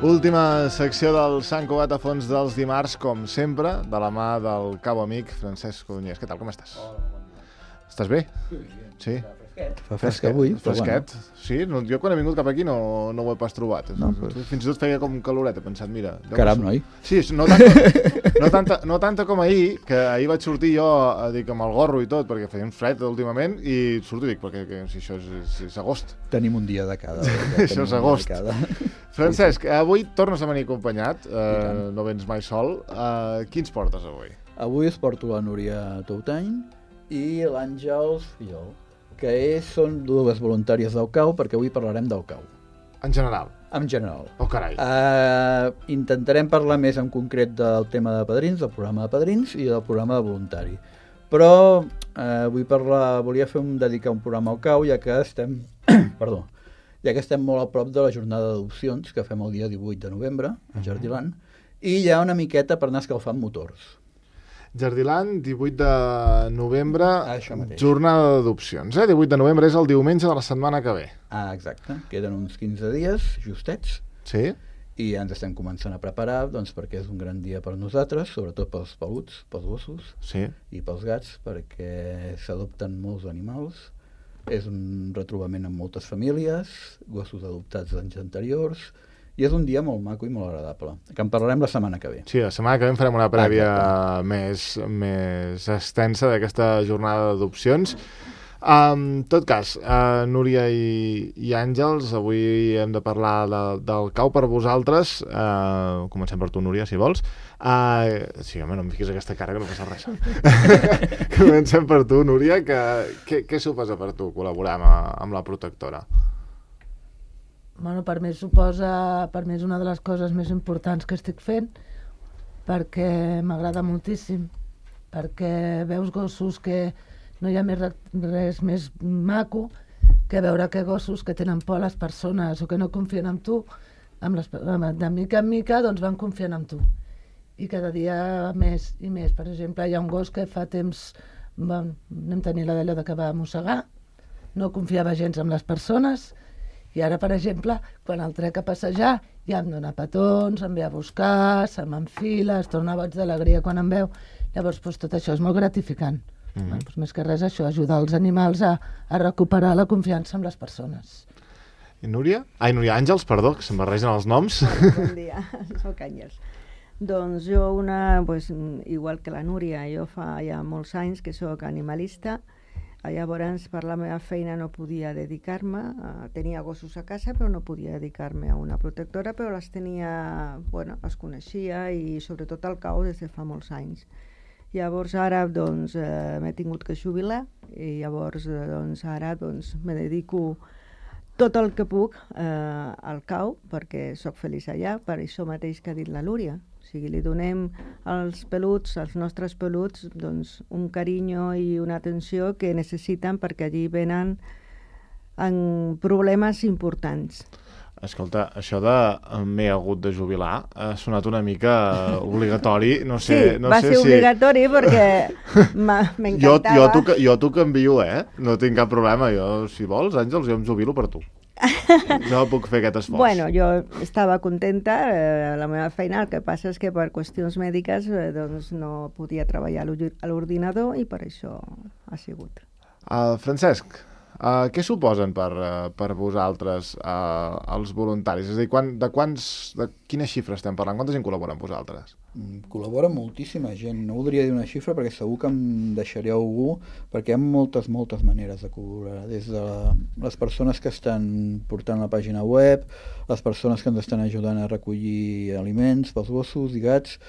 Última secció del Sant Cugat a fons dels dimarts, com sempre, de la mà del cabo amic Francesc Codonyès. Què tal, com estàs? Hola, bon dia. Estàs bé? Sí. Fa fresca avui, però fresquet. bueno. Sí, jo quan he vingut cap aquí no ho he pas trobat. No, però... Fins i tot feia com caloret, he pensat, mira... Caram, noi. Sí, no tanta com ahir, que ahir vaig sortir jo dic, amb el gorro i tot, perquè feia un fred últimament, i surto i dic, perquè si això és agost. Tenim un dia de cada. Això és agost. Francesc, avui tornes a venir acompanyat, no vens mai sol. Quins portes avui? Avui es porto la Núria Toutany i l'Àngels Fillol, que són dues voluntàries del CAU, perquè avui parlarem del CAU. En general? En general. Oh, carai. Intentarem parlar més en concret del tema de padrins, del programa de padrins i del programa de voluntari. Però volia dedicar un programa al CAU, ja que estem molt a prop de la jornada d'adopcions, que fem el dia 18 de novembre, a Jardiland, i hi ha una miqueta per anar escalfant motors. Jardiland, 18 de novembre, mateix. Jornada d'adopcions. 18 de novembre és el diumenge de la setmana que ve. Exacte. Queden uns 15 dies, justets. Sí. I ja ens estem començant a preparar, doncs, perquè és un gran dia per nosaltres, sobretot pels peluts, pels gossos, sí, i pels gats, perquè s'adopten molts animals. És un retrobament amb moltes famílies, gossos adoptats d'anys anteriors, i és un dia molt maco i molt agradable, que en parlarem la setmana que ve. Sí, la setmana que ve farem una prèvia més extensa d'aquesta jornada d'adopcions. En tot cas, Núria i Àngels, avui hem de parlar del CAU per vosaltres. Comencem per tu, Núria, si vols. Sí, home, no em fiquis aquesta cara que no passa res. Comencem per tu, Núria. Què suposa per tu col·laborar amb la protectora? Bueno, per mi és una de les coses més importants que estic fent, perquè m'agrada moltíssim, perquè veus gossos que no hi ha res més maco que veure que gossos que tenen por a les persones o que no confien en tu, de mica en mica doncs van confiant en tu. I cada dia més i més. Per exemple, hi ha un gos que fa temps vam tenir la d'allò que va mossegar, no confiava gens en les persones, i ara, per exemple, quan el trec a passejar, ja em dona petons, em ve a buscar, se m'enfila, es torna boig d'alegria quan em veu. Llavors, tot això és molt gratificant. Més que res, això, ajudar els animals a recuperar la confiança en les persones. I Núria? Núria, Àngels, perdó, que se'm barregen els noms. Bon dia, soc Àngels. Doncs jo, igual que la Núria, jo fa ja molts anys que soc animalista. Llavors, per la meva feina no podia dedicar-me, tenia gossos a casa, però no podia dedicar-me a una protectora, però les tenia, les coneixia i sobretot al CAU des de fa molts anys. Llavors ara m'he tingut que jubilar i llavors ara me dedico tot el que puc al CAU perquè sóc feliç allà, per això mateix que ha dit la Núria. O sigui, li donem als peluts, als nostres peluts, un carinyo i una atenció que necessiten perquè allí venen amb problemes importants. Escolta, això de m'he hagut de jubilar ha sonat una mica obligatori. No sé, va ser obligatori perquè m'encantava. Jo t'ho canvio, no tinc cap problema. Jo, si vols, Àngels, jo em jubilo per tu. Jo puc fer aquest esforç. Bueno, jo estava contenta a la meva feina, el que passa és que per qüestions mèdiques no podia treballar a l'ordinador i per això ha sigut. Francesc, què suposen per vosaltres els voluntaris? És a dir, de quines xifres estem parlant? Quanta gent col·labora amb vosaltres? Col·labora moltíssima gent. No voldria dir una xifra perquè segur que em deixaré algú, perquè hi ha moltes maneres de col·laborar. Des de les persones que estan portant la pàgina web, les persones que ens estan ajudant a recollir aliments pels gossos i gats,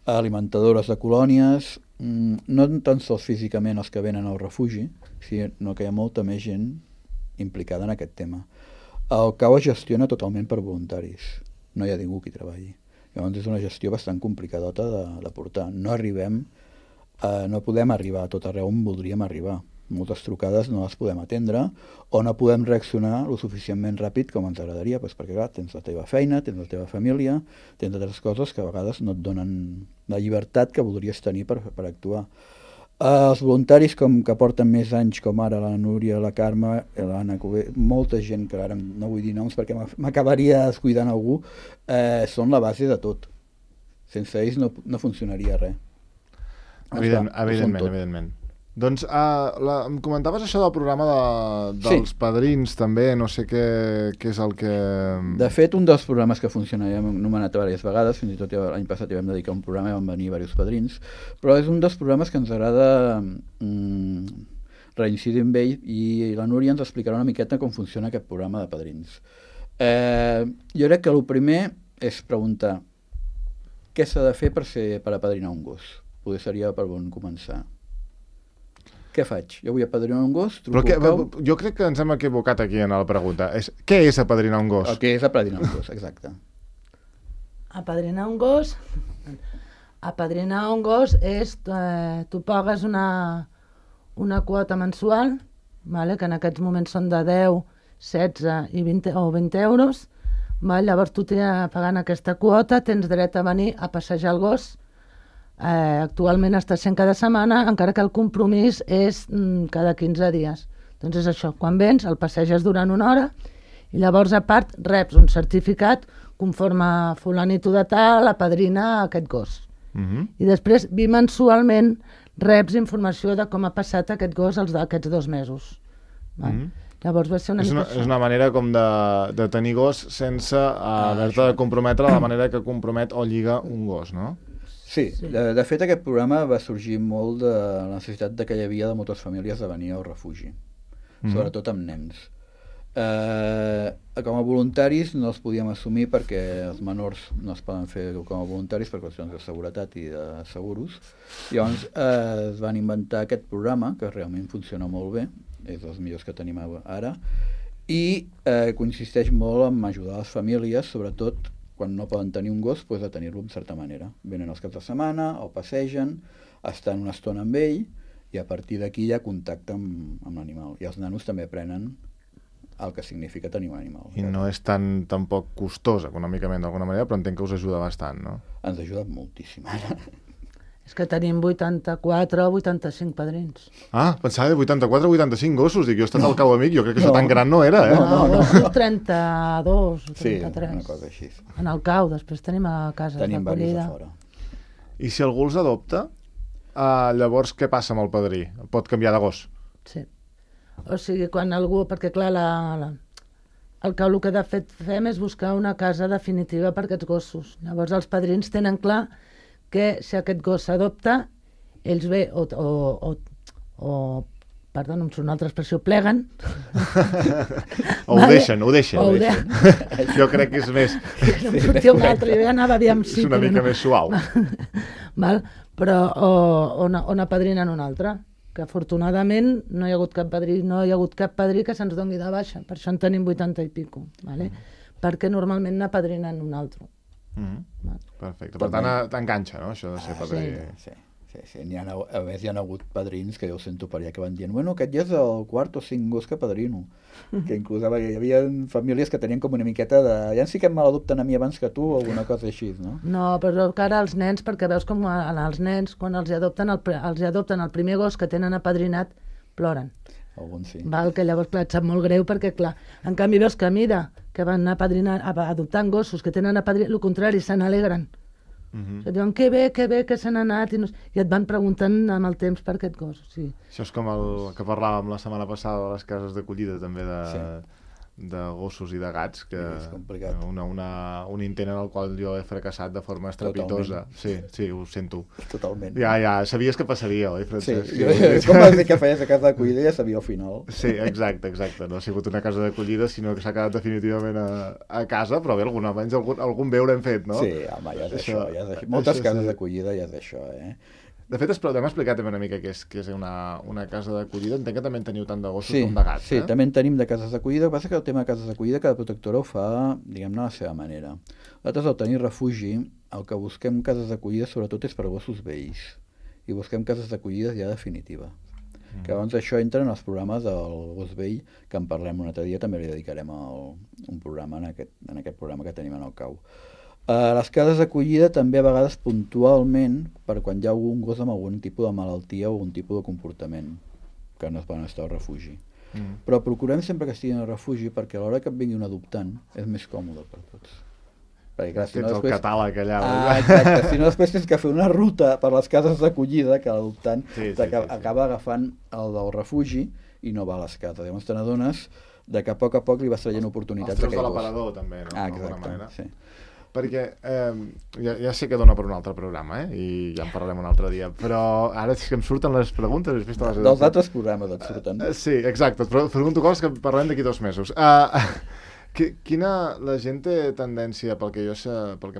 alimentadores de colònies, no tan sols físicament els que venen al refugi, sinó que hi ha molta més gent implicada en aquest tema. El CAU es gestiona totalment per voluntaris, no hi ha ningú qui treballi. Llavors és una gestió bastant complicadota de portar. No podem arribar a tot arreu on voldríem arribar. Moltes trucades no les podem atendre o no podem reaccionar lo suficientment ràpid com ens agradaria, perquè clar, tens la teva feina, tens la teva família, tens altres coses que a vegades no et donen la llibertat que voldries tenir per actuar. Els voluntaris que porten més anys, com ara la Núria, la Carme, l'Anna Cové, molta gent que ara no vull dir noms perquè m'acabaria descuidant algú, són la base de tot. Sense ells no funcionaria res. Evidentment. Doncs em comentaves això del programa dels padrins també, no sé què és el que... De fet, un dels programes que funciona, ja hem anomenat diverses vegades, fins i tot l'any passat hi vam dedicar un programa i van venir diversos padrins, però és un dels programes que ens agrada reincidir en ell, i la Núria ens explicarà una miqueta com funciona aquest programa de padrins. Jo crec que el primer és preguntar què s'ha de fer per apadrinar un gos. Potser seria per on començar. Què faig? Jo vull apadrinar un gos, jo crec que ens hem equivocat aquí en la pregunta. Què és apadrinar un gos? El que és apadrinar un gos, exacte. Apadrinar un gos... Apadrinar un gos és... tu pagues una quota mensual, vale? Que en aquests moments són de 10, 16 i 20, o 20 euros. Vale? Llavors tu pagant aquesta quota tens dret a venir a passejar el gos. Actualment està sent cada setmana, encara que el compromís és cada 15 dies. Doncs és això, quan vens el passeges durant una hora i llavors a part reps un certificat conforme fulanito de tal apadrina aquest gos. I després bimensualment reps informació de com ha passat aquest gos aquests 2 mesos. Llavors va ser és una manera com de tenir gos sense haver-te de comprometre de la manera que compromet o lliga un gos, no? Sí, de fet aquest programa va sorgir molt de la necessitat que hi havia de moltes famílies de venir al refugi, sobretot amb nens. Com a voluntaris no els podíem assumir perquè els menors no es poden fer com a voluntaris per qüestions de seguretat i de seguros. Llavors es van inventar aquest programa, que realment funciona molt bé, és dels millors que tenim ara, i consisteix molt en ajudar les famílies, sobretot quan no poden tenir un gos, doncs, a tenir-lo en certa manera. Venen els caps de setmana, el passegen, estan una estona amb ell, i a partir d'aquí hi ha contacte amb l'animal. I els nanos també aprenen el que significa tenir un animal. I no és tampoc costós econòmicament d'alguna manera, però entenc que us ajuda bastant, no? Ens ajuda moltíssim. És que tenim 84 o 85 padrins. Pensava de 84 o 85 gossos. Dic, jo he estat al cau amic, jo crec que això tan gran no era, eh? No, 32 o 33. Sí, una cosa així. En el cau, després tenim a casa tenim d'acollida. Fora. I si algú els adopta, llavors què passa amb el padrí? Pot canviar de gos? Sí. O sigui, quan algú... Perquè, clar, el cau el que de fet fem és buscar una casa definitiva per aquests gossos. Llavors els padrins tenen clar que si aquest gos s'adopta, ells bé perdó, no em surt una altra expressió, pleguen. Ho deixen. Jo crec que és més... No em sortia una altra, jo ja anava aviam sí. És una mica més suau. Però on apadrinen un altre, que afortunadament no hi ha hagut cap padrí que se'ns doni de baixa, per això en tenim 80 i pico, vale? Perquè normalment n'apadrinen un altre. Perfecte, per tant t'enganxa, no, això de ser padrí. Sí. A més hi ha hagut padrins que jo sento per allà que van dient aquest ja és el quart o 5 gos que padrino, que inclús hi havia famílies que tenien com una miqueta de ja sí que em maladopten a mi abans que tu o alguna cosa així, no? No, però que ara els nens, perquè veus com els nens quan els adopten el primer gos que tenen apadrinat ploren. Alguns sí. Que llavors, clar, et sap molt greu perquè, clar, en canvi veus que a mida que van adoptant gossos que tenen apadrinat, el contrari, se n'alegren. Diuen, que bé que se n'ha anat, i et van preguntant amb el temps per aquest gos. Sí. Això és com el que parlàvem la setmana passada de les cases d'acollida, també de gossos i de gats, que és complicat. Un intent en el qual jo he fracassat de forma estrepitosa. Sí, ho sento. Totalment. Ja, sabies que passaria, oi, Francesc? Sí, com vas dir que feies a casa d'acollida ja sabia al final. Sí, exacte. No ha sigut una casa d'acollida, sinó que s'ha quedat definitivament a casa, però bé, algun bé haurem fet, no? Sí, home, ja és això. Moltes cases d'acollida ja és això, eh? De fet, hem explicat també una mica què és una casa d'acollida. Entenc que també en teniu tant de gossos com de gats, Sí, també en tenim de cases d'acollida. El que passa que el tema de cases d'acollida, cada protectora ho fa, diguem-ne, a la seva manera. Nosaltres, al tenir refugi, el que busquem cases d'acollida sobretot és per gossos vells. I busquem cases d'acollida ja definitiva. Que abans això entra en els programes del gos vell, que en parlem un altre dia, també li dedicarem un programa en aquest programa que tenim en el cau. A les cases d'acollida també a vegades puntualment, per quan hi ha algun gos amb algun tipus de malaltia o algun tipus de comportament que no es poden estar al refugi. Però procurem sempre que estiguin al refugi perquè a l'hora que et vingui un adoptant és més còmode per tots. Perquè clar, Tens el catàleg allà. Exacte, si no després tens que fer una ruta per les cases d'acollida que l'adoptant Sí. acaba agafant el del refugi i no va a les cases. Llavors te n'adones de que a poc li vas traient oportunitats. Els trucs de l'aparador també, no? Exacte, sí. Perquè ja sé que dona per un altre programa, i ja en parlarem un altre dia, però ara és que em surten les preguntes. Has vist Dels altres programes et surten. Sí, exacte, et pregunto coses que parlem d'aquí 2 mesos. La gent té tendència, pel que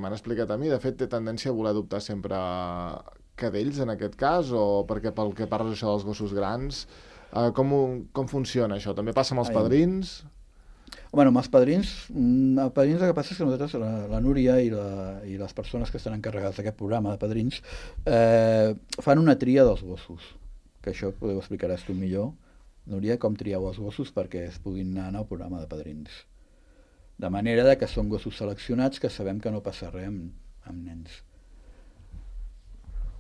m'han explicat a mi, de fet té tendència a voler adoptar sempre cadells en aquest cas, o perquè pel que parles això dels gossos grans, com funciona això? També passa amb els padrins? Bueno, amb els padrins el que passa és que nosaltres, la Núria i les persones que estan encarregades d'aquest programa de padrins, fan una tria dels gossos, que això ho explicaràs tu millor, Núria, com trieu els gossos perquè es puguin anar al programa de padrins. De manera que són gossos seleccionats que sabem que no passa res amb nens.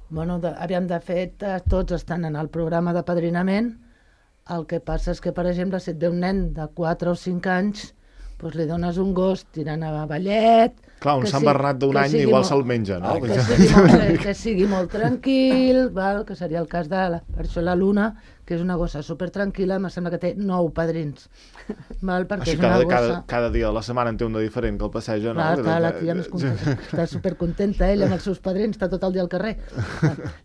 Bueno, aviam, de fet, tots estan en el programa de padrinament. El que passa és que, per exemple, si et ve un nen de 4 o 5 anys, doncs li dones un gos tirant a ballet... Clar, un Sant Bernat d'un any igual se'l menja, no? Que sigui molt tranquil, val? Que seria el cas per això la Luna, que és una gossa supertranquil·la, em sembla que té 9 padrins. Val? Perquè Així és una gossa... cada dia de la setmana en té un de diferent que el passeja, no? Clar, la tia més contenta, està supercontenta, ella amb els seus padrins, està tot el dia al carrer.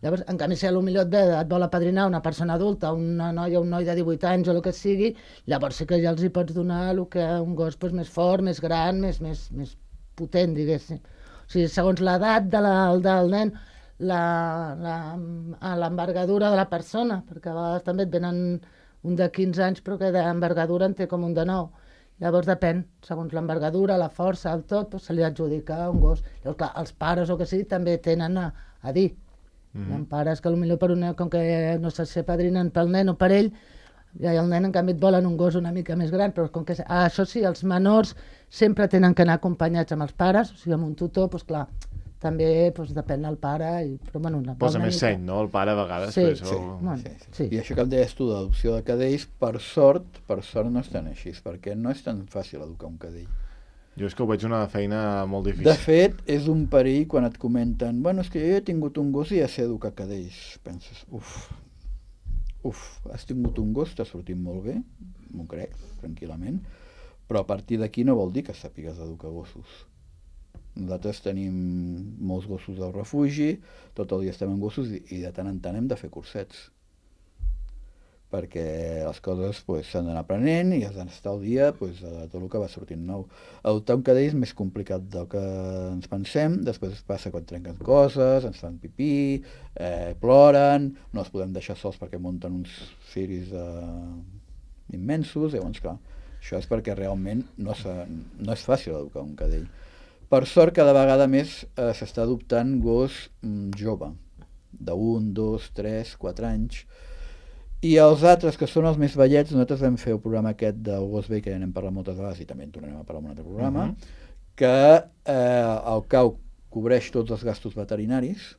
Llavors, en canvi, si potser et vol apadrinar una persona adulta, una noia, un noi de 18 anys o el que sigui, llavors sí que ja els hi pots donar un gos més fort, més gran, més potent, diguéssim. O sigui, segons l'edat del nen, l'envergadura de la persona, perquè a vegades també et venen un de 15 anys però que d'envergadura en té com un de 9. Llavors depèn, segons l'envergadura, la força, el tot, doncs se li adjudica un gos. Llavors, clar, els pares o que sigui també tenen a dir. Hi ha pares que potser per un nen, com que no sé si padrinen pel nen o per ell, i el nen en canvi et volen un gos una mica més gran, però com que això sí, els menors sempre tenen que anar acompanyats amb els pares, o sigui, amb un tutor, doncs clar, també depèn del pare. Però, bueno, posa més seny, no? El pare a vegades. Sí. I això que em deies tu d'adopció de cadells, per sort no és tan així, perquè no és tan fàcil educar un cadell. Jo és que ho veig una feina molt difícil. De fet, és un perill quan et comenten és que jo he tingut un gos i ja sé educar cadells. Penses, has tingut un gos, t'ha sortit molt bé, m'ho crec, tranquil·lament, però a partir d'aquí no vol dir que sàpigues educar gossos. Nosaltres tenim molts gossos del refugi, tot el dia estem amb gossos i de tant en tant hem de fer cursets, perquè les coses s'han d'anar aprenent i has d'estar al dia de tot el que va sortint nou. Adoptar un cadell és més complicat del que ens pensem, després passa quan trenquen coses, ens fan pipí, ploren, no els podem deixar sols perquè munten uns ciris immensos, llavors clar, això és perquè realment no és fàcil educar un cadell. Per sort, cada vegada més s'està adoptant gos jove, de 1, 2, 3, 4 anys, i els altres, que són els més vellets, nosaltres vam fer el programa aquest del gos vell, que ja n'hem parlat moltes vegades i també en tornarem a parlar en un altre programa, que el CAU cobreix tots els gastos veterinaris,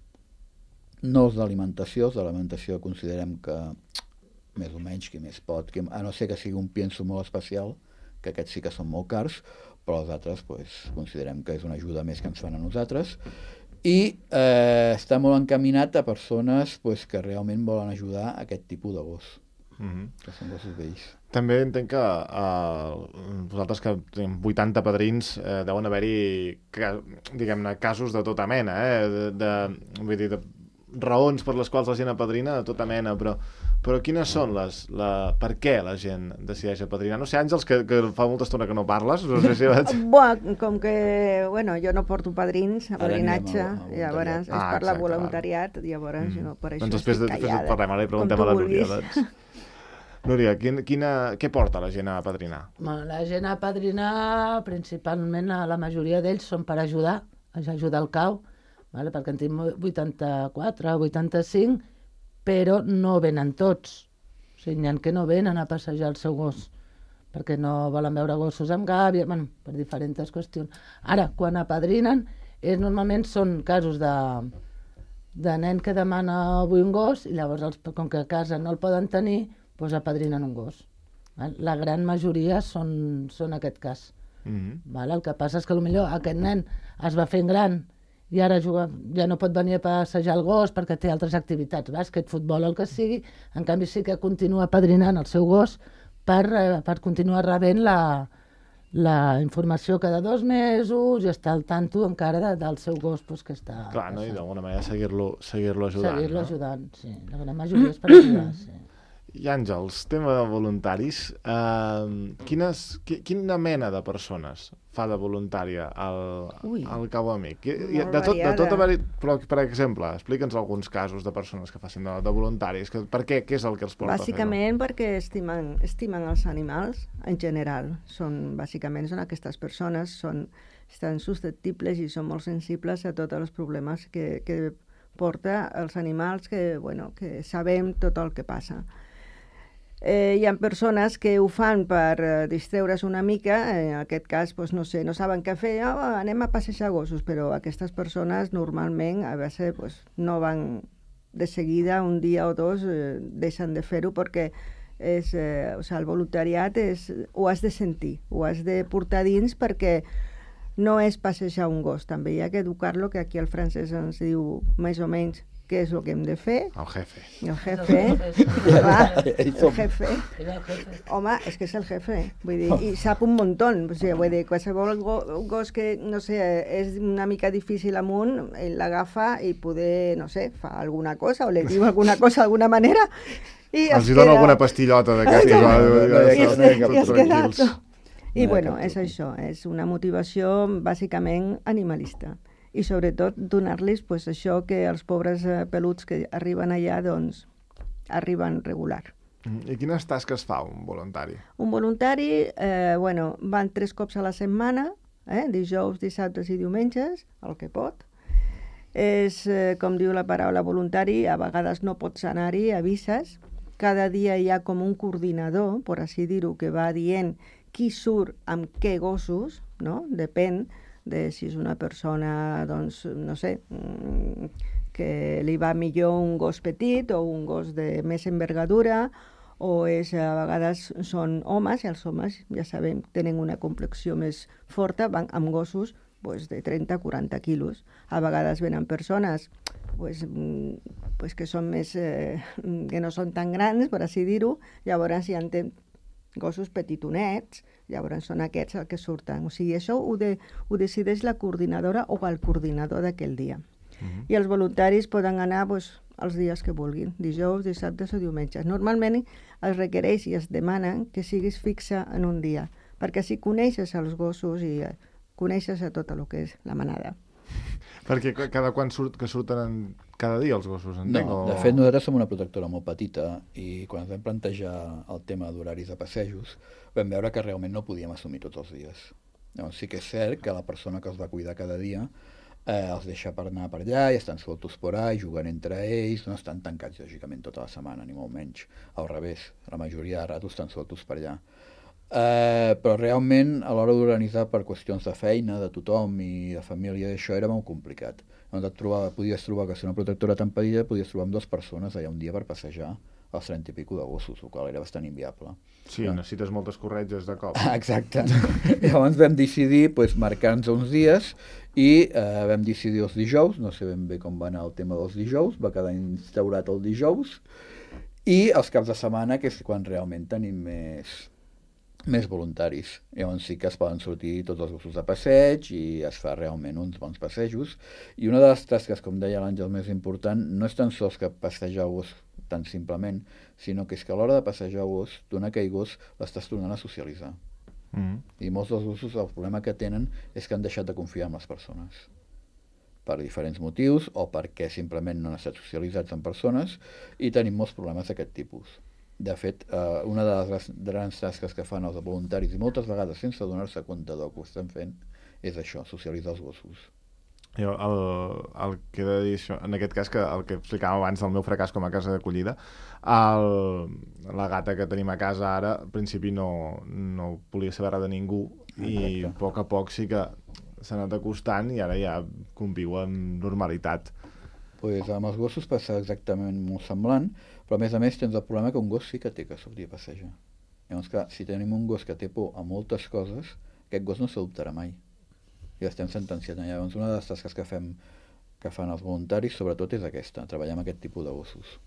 no els d'alimentació. Els d'alimentació considerem que més o menys qui més pot, a no ser que sigui un pienso molt especial, que aquests sí que són molt cars, però els altres considerem que és una ajuda més que ens fan a nosaltres. I està molt encaminat a persones que realment volen ajudar a aquest tipus de gos, que són gossos vells. També entenc que vosaltres que tenim 80 padrins deuen haver-hi, diguem-ne, casos de tota mena, vull dir, de raons per les quals la gent apadrina de tota mena, però quines són per què la gent decideix apadrinar? No sé, Àngels, que fa molta estona que no parles, no sé si vaig... Com que, jo no porto padrins, apadrinatge, llavors és per la voluntariat, llavors per això després parlem, ara li preguntem a la Núria, doncs. Núria, què porta la gent a apadrinar? La gent a apadrinar, principalment, la majoria d'ells són per ajudar el CAU, perquè en tenim 84, 85, però no venen tots. O sigui, n'hi ha que no venen a passejar el seu gos, perquè no volen veure gossos amb gàbia, per diferents qüestions. Ara, quan apadrinen, Normalment són casos de nen que demana avui un gos i llavors, com que a casa no el poden tenir, doncs apadrinen un gos. La gran majoria són aquest cas. El que passa és que potser aquest nen es va fent gran i ara ja no pot venir a passejar el gos perquè té altres activitats, bàsquet, futbol, el que sigui. En canvi sí que continua apadrinant el seu gos per continuar rebent la informació cada 2 mesos i estar al tanto encara del seu gos que està... Clar, no? I d'alguna manera seguir-lo ajudant. Seguir-lo ajudant, sí. La gran majoria és per ajudar, sí. I Àngels, tema de voluntaris, quina mena de persones fa de voluntària al Cabo Amic? De tot però, per exemple, explica'ns alguns casos de persones que facin de voluntaris. Per què? Què és el que els porta a fer-ho? Bàsicament perquè estimen els animals en general. Bàsicament són aquestes persones, estan susceptibles i són molt sensibles a tots els problemes que porta els animals, que sabem tot el que passa. Hi ha persones que ho fan per distreure's una mica, en aquest cas, no saben què fer, anem a passejar gossos, però aquestes persones normalment a vegades no van de seguida, un dia o 2, deixen de fer-ho perquè el voluntariat ho has de sentir, ho has de portar dins perquè no és passejar un gos, també hi ha que educar-lo, que aquí el francès ens diu més o menys què és el que hem de fer. El jefe. El jefe. El jefe. Home, és que és el jefe. Vull dir, i sap un muntó. Vull dir, qualsevol gos que, no sé, és una mica difícil amunt, ell l'agafa i poder, no sé, fa alguna cosa o li diu alguna cosa d'alguna manera. Els hi dona alguna pastillota d'aquestes. I es queda. I bueno, és això, és una motivació bàsicament animalista. I sobretot donar-los això que els pobres peluts que arriben allà, doncs, arriben regular. I quines tasques fa un voluntari? Un voluntari, van 3 cops a la setmana, dijous, dissabtes i diumenges, el que pot. És, com diu la paraula voluntari, a vegades no pots anar-hi, avises. Cada dia hi ha com un coordinador, per així dir-ho, que va dient qui surt amb què gossos, no? Depèn de si és una persona, doncs, no sé, que li va millor un gos petit o un gos de més envergadura, o a vegades són homes, i els homes, ja sabem, tenen una complexió més forta, van amb gossos de 30-40 quilos. A vegades venen persones que són més, que no són tan grans, per així dir-ho, llavors hi ha gossos petitonets, llavors són aquests els que surten. O sigui, això ho decideix la coordinadora o el coordinador d'aquell dia. I els voluntaris poden anar els dies que vulguin, dijous, dissabtes o diumenges. Normalment es requereix i es demana que siguis fixa en un dia, perquè així coneixes els gossos i coneixes a tot el que és la manada. Perquè cada quan surten cada dia els gossos, entenc? No, de fet nosaltres som una protectora molt petita i quan ens vam plantejar el tema d'horaris de passejos vam veure que realment no podíem assumir tots els dies. Llavors, sí que és cert que la persona que els va cuidar cada dia els deixa per anar per allà i estan sueltos por ahí, juguen entre ells, no estan tancats lògicament tota la setmana, ni molt menys. Al revés, la majoria de ratos estan sueltos per allà. Però realment a l'hora d'organitzar per qüestions de feina, de tothom i de família, això era molt complicat. Podies trobar que ser una protectora tan petita, podies trobar amb 2 persones allà un dia per passejar els 30 i pico de gossos, el qual era bastant inviable. Sí, necessites moltes corretges de cop. Exacte. Llavors vam decidir marcar-nos uns dies i vam decidir els dijous, no sé ben bé com va anar el tema dels dijous, va quedar instaurat el dijous, i els caps de setmana, que és quan realment tenim més voluntaris. Llavors sí que es poden sortir tots els gossos de passeig i es fa realment uns bons passejos. I una de les tasques, com deia l'Àngel, més important, no és tan sols que passejar el gos tan simplement, sinó que és que a l'hora de passejar el gos, donar aquell gos l'estàs tornant a socialitzar. I molts dels gossos el problema que tenen és que han deixat de confiar en les persones per diferents motius o perquè simplement no han estat socialitzats amb persones i tenim molts problemes d'aquest tipus. De fet, una de les grans tasques que fan els voluntaris, i moltes vegades sense donar-se compte del que ho estan fent, és això, socialitzar els gossos. Jo el que he de dir això, en aquest cas, que el que explicàvem abans del meu fracàs com a casa d'acollida, la gata que tenim a casa ara, al principi no volia saber res de ningú, i a poc sí que anat acostant i ara ja conviu amb normalitat. Pues amb els gossos passa exactament molt semblant, però a més tens el problema que un gos sí que té que sortir a passejar. Llavors, clar, si tenim un gos que té por a moltes coses, aquest gos no s'adoptarà mai. I estem sentenciant. Llavors, una de les tasques que fan els voluntaris, sobretot, és aquesta, treballar amb aquest tipus de gossos.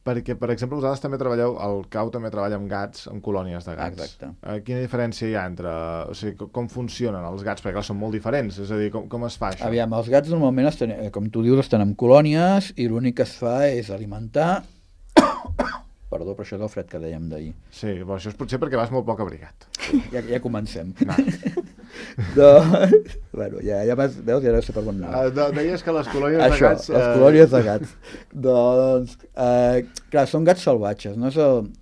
Perquè, per exemple, vosaltres també treballeu, el CAU també treballa amb gats, amb colònies de gats. Exacte. Quina diferència hi ha entre... O sigui, com funcionen els gats? Perquè, clar, són molt diferents. És a dir, com es fa això? Aviam, els gats normalment, com tu dius, estan en colònies i l'únic que es fa és alimentar... Perdó, però això és el fred que dèiem d'ahir. Sí, però això és potser perquè vas molt poc abrigat. Ja comencem. No. Bueno, ja veus, ja deu ser per bon anar. Deies que les colònies de gats... les colònies de gats. Doncs, clar, són gats salvatges, no és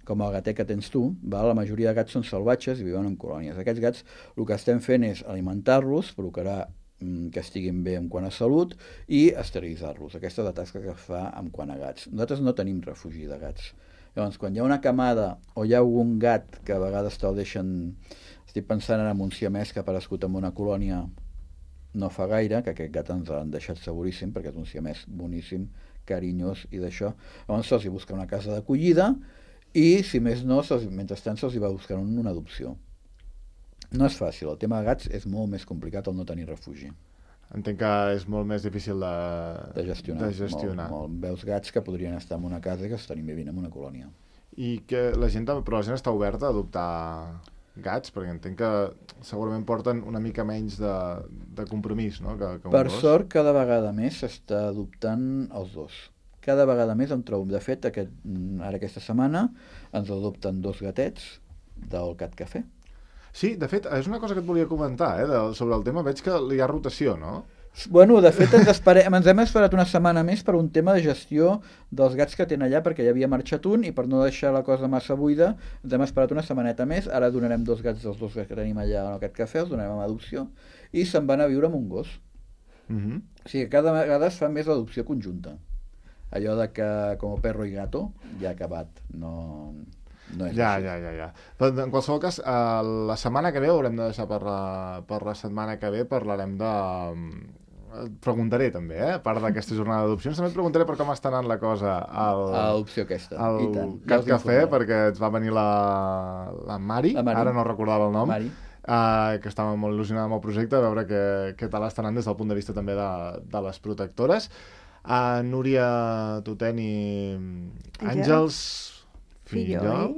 com el gatet que tens tu, la majoria de gats són salvatges i viuen en colònies. Aquests gats, el que estem fent és alimentar-los, procurar que estiguin bé en quant a salut i esterilitzar-los. Aquesta és la tasca que es fa en quant a gats. Nosaltres no tenim refugi de gats. Llavors, quan hi ha una camada o hi ha algun gat que a vegades te'l deixen... Estic pensant ara en un siamès que ha aparegut en una colònia no fa gaire, que aquest gat ens l'han deixat seguríssim, perquè és un siamès boníssim, carinyós i d'això. Llavors se'ls busca una casa d'acollida i, si més no, mentrestant se'ls va buscar una adopció. No és fàcil, el tema de gats és molt més complicat el no tenir refugi. Entenc que és molt més difícil de gestionar. Molt. Veus gats que podrien estar en una casa i que estan vivint en una colònia. I que la gent està oberta a adoptar gats? Perquè entenc que segurament porten una mica menys de compromís, no? Que un per gos. Sort, cada vegada més s'està adoptant els dos. Cada vegada més em trobo. De fet, ara aquesta setmana ens adopten 2 gatets del Cat Cafè. Sí, de fet, és una cosa que et volia comentar, sobre el tema. Veig que hi ha rotació, no? Bueno, de fet, ens hem esperat una setmana més per un tema de gestió dels gats que tenen allà, perquè ja havia marxat un i per no deixar la cosa massa buida ens hem esperat una setmaneta més. Ara donarem 2 gats dels 2 que tenim allà en aquest cafè, els donarem a adopció i se'n van a viure amb un gos. O sigui, cada vegada es fa més l'adopció conjunta. Allò de que com perro i gato ja ha acabat, no és així. Ja. Però en qualsevol cas, la setmana que ve haurem de deixar per la setmana que ve, parlarem de... Et preguntaré també, a part d'aquesta jornada d'adopcions, també et preguntaré per com està anant la cosa a l'adopció aquesta. Al Cat Cafè, perquè ens va venir la Mari, ara no recordava el nom, que estava molt il·lusionada amb el projecte, a veure què tal està anant des del punt de vista també de les protectores. Núria Tutent i Àngels Fillol.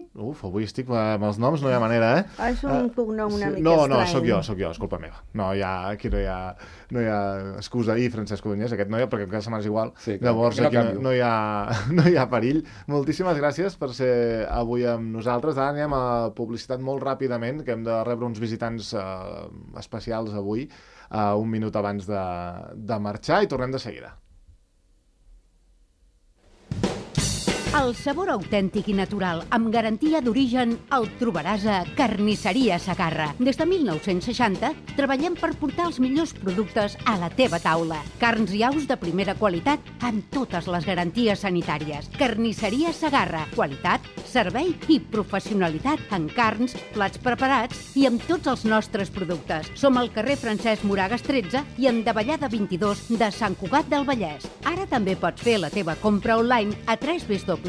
Avui estic amb els noms, no hi ha manera, És un cognom una mica estrany. No, sóc jo, és culpa meva. Aquí no hi ha excusa. I Francesc Codonyés, aquest no hi ha, perquè cada setmana és igual. Sí, llavors aquí no hi ha perill. Moltíssimes gràcies per ser avui amb nosaltres. Ara anem a publicitat molt ràpidament, que hem de rebre uns visitants especials avui, un minut abans de marxar, i tornem de seguida. El sabor autèntic i natural, amb garantia d'origen, el trobaràs a Carnisseria Segarra. Des de 1960 treballem per portar els millors productes a la teva taula. Carns i aus de primera qualitat amb totes les garanties sanitàries. Carnisseria Segarra. Qualitat, servei i professionalitat en carns, plats preparats i amb tots els nostres productes. Som al carrer Francesc Moragas 13 i en Davallada 22 de Sant Cugat del Vallès. Ara també pots fer la teva compra online a www.cesegarra.com.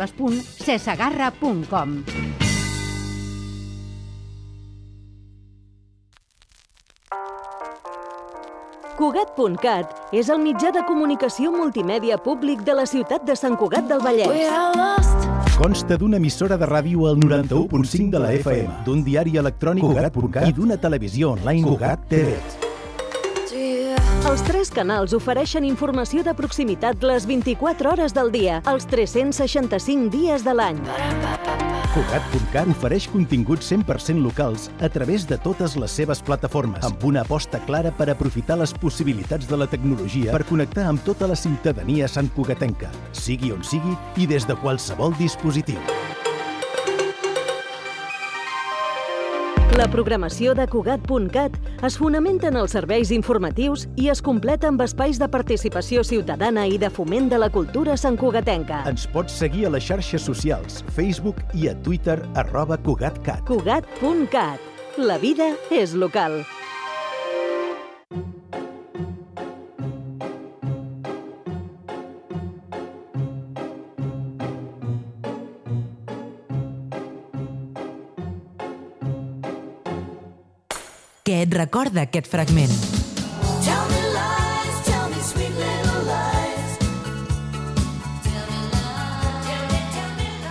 Cugat.cat és el mitjà de comunicació multimèdia públic de la ciutat de Sant Cugat del Vallès. Consta d'una emissora de ràdio al 91.5 de la FM, d'un diari electrònic Cugat.cat i d'una televisió online Cugat TV. Els 3 canals ofereixen informació de proximitat les 24 hores del dia, els 365 dies de l'any. Cugat.cat ofereix continguts 100% locals a través de totes les seves plataformes, amb una aposta clara per aprofitar les possibilitats de la tecnologia per connectar amb tota la ciutadania santcugatenca, sigui on sigui i des de qualsevol dispositiu. La programació de Cugat.cat es fonamenta en els serveis informatius i es completa amb espais de participació ciutadana i de foment de la cultura santcugatenca. Ens pots seguir a les xarxes socials, Facebook i a Twitter @Cugat.cat. Cugat.cat. La vida és local. Què et recorda aquest fragment?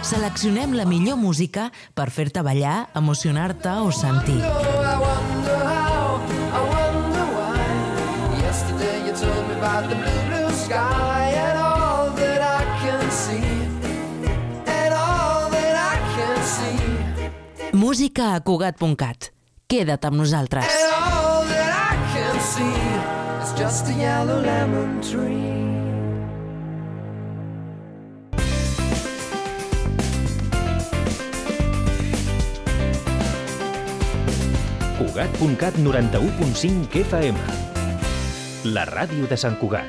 Seleccionem la millor música per fer-te ballar, emocionar-te o sentir. Música a Cugat.cat. Queda't amb nosaltres. Cugat.cat 91.5 FM. La ràdio de Sant Cugat.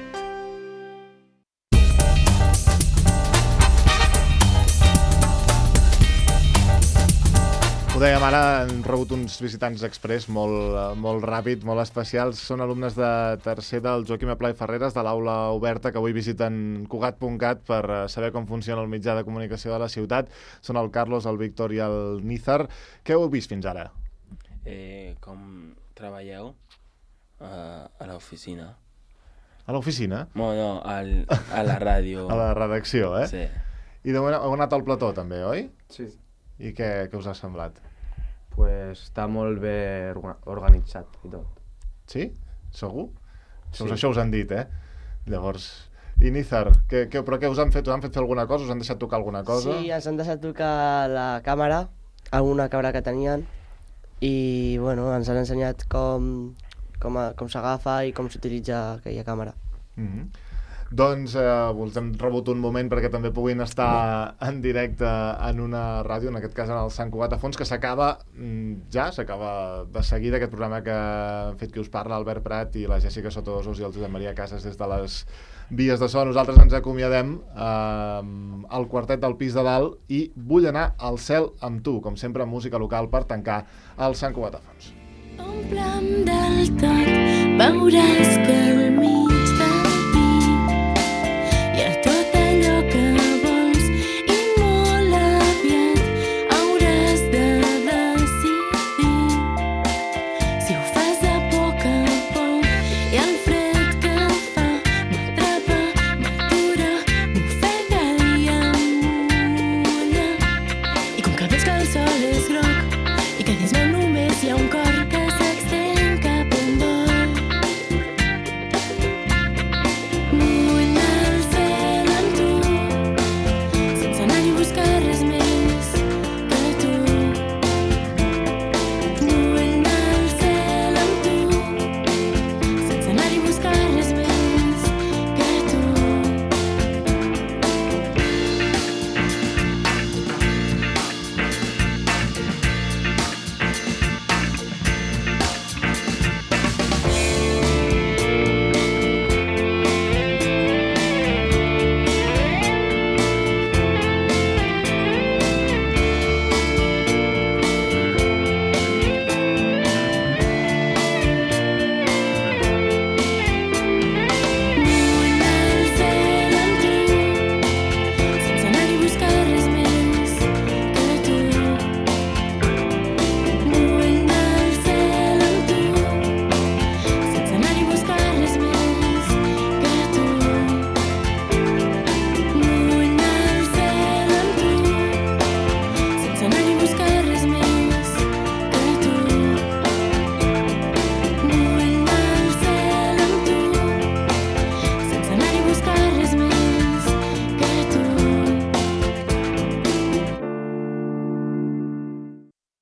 Ho dèiem ara, hem rebut uns visitants express molt ràpid, molt especials. Són alumnes de tercer del Joaquim Aplà i Ferreres, de l'aula oberta, que avui visiten Cugat.cat per saber com funciona el mitjà de comunicació de la ciutat. Són el Carlos, el Víctor i el Nízar. Què heu vist fins ara? Com treballeu a l'oficina. A l'oficina? No, a la ràdio. A la redacció, eh? Sí. I de moment heu anat al plató, també, oi? Sí. I què us ha semblat? Pues està molt bé organitzat i tot. Sí? Segur? Sí. Això us han dit, eh? Llavors... I Nízar, però què us han fet? Us han fet fer alguna cosa? Us han deixat tocar alguna cosa? Sí, ens han deixat tocar la càmera, alguna càmera que tenien, i bueno, ens han ensenyat com s'agafa i com s'utilitza aquella càmera. Doncs us hem rebut un moment perquè també puguin estar en directe en una ràdio, en aquest cas en el Sant Cugat a Fons, que s'acaba de seguida aquest programa que han fet qui us parla, Albert Prat i la Jèssica Sotodosos i el Josep Maria Casas des de les vies de so. Nosaltres ens acomiadem al quartet del pis de dalt i Vull anar al cel amb tu, com sempre música local per tancar el Sant Cugat a Fons. Omple'm del tot, veuràs que